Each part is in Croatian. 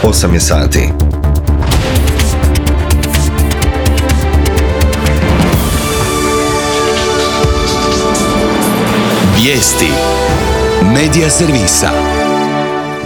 8 je sati. Vijesti Medija servisa.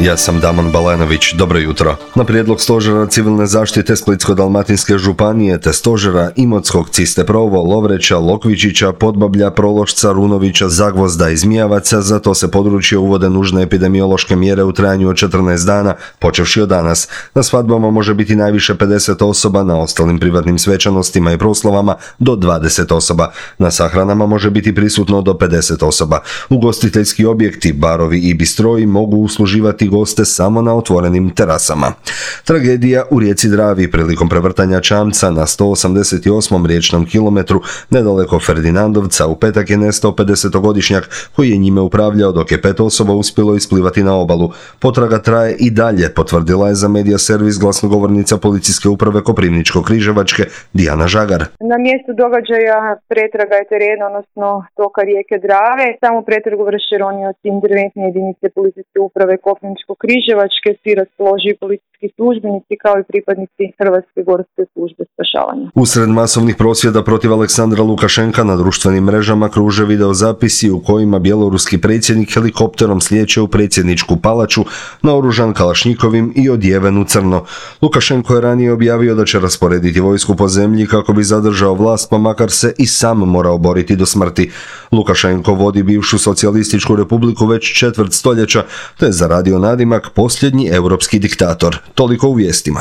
Ja sam Damon Balanović, dobro jutro. Na prijedlog Stožera civilne zaštite Splitsko-dalmatinske županije te Stožera Imotskog, Ciste Provo, Lovreća, Lokvičića, Podbablja, Prološca, Runovića, Zagvozda i Zmijavaca, za to se područje uvode nužne epidemiološke mjere u trajanju od 14 dana, počevši od danas. Na svadbama može biti najviše 50 osoba, na ostalim privatnim svečanostima i proslavama do 20 osoba. Na sahranama može biti prisutno do 50 osoba. Ugostiteljski objekti, barovi i bistroji mogu usluživati goste samo na otvorenim terasama. Tragedija u rijeci Dravi prilikom prevrtanja čamca na 188. riječnom kilometru nedaleko Ferdinandovca u petak je nestao 50-godišnjak koji je njime upravljao, dok je 5 osoba uspjelo isplivati na obalu. Potraga traje i dalje, potvrdila je za Medija servis glasnogovornica Policijske uprave Koprivničko-križevačke Dijana Žagar. Na mjestu događaja pretraga je terena, odnosno toka rijeke Drave. Samo pretragu vrše ronioci interventne jedinice Policijske uprave Koprivničko-križevačke, svi raspoloživi policijski službenici kao i pripadnici Hrvatske gorske službe spašavanja. Usred masovnih prosvjeda protiv Aleksandra Lukašenka na društvenim mrežama kruže videozapisi u kojima bjeloruski predsjednik helikopterom slijeće u predsjedničku palaču naoružan kalašnjikovim i odjeven u crno. Lukašenko je ranije objavio da će rasporediti vojsku po zemlji kako bi zadržao vlast, pa makar se i sam morao boriti do smrti. Lukašenko vodi bivšu socijalističku republiku već četvrt stoljeća, te je zaradio nadimak posljednji europski diktator. Toliko u vijestima.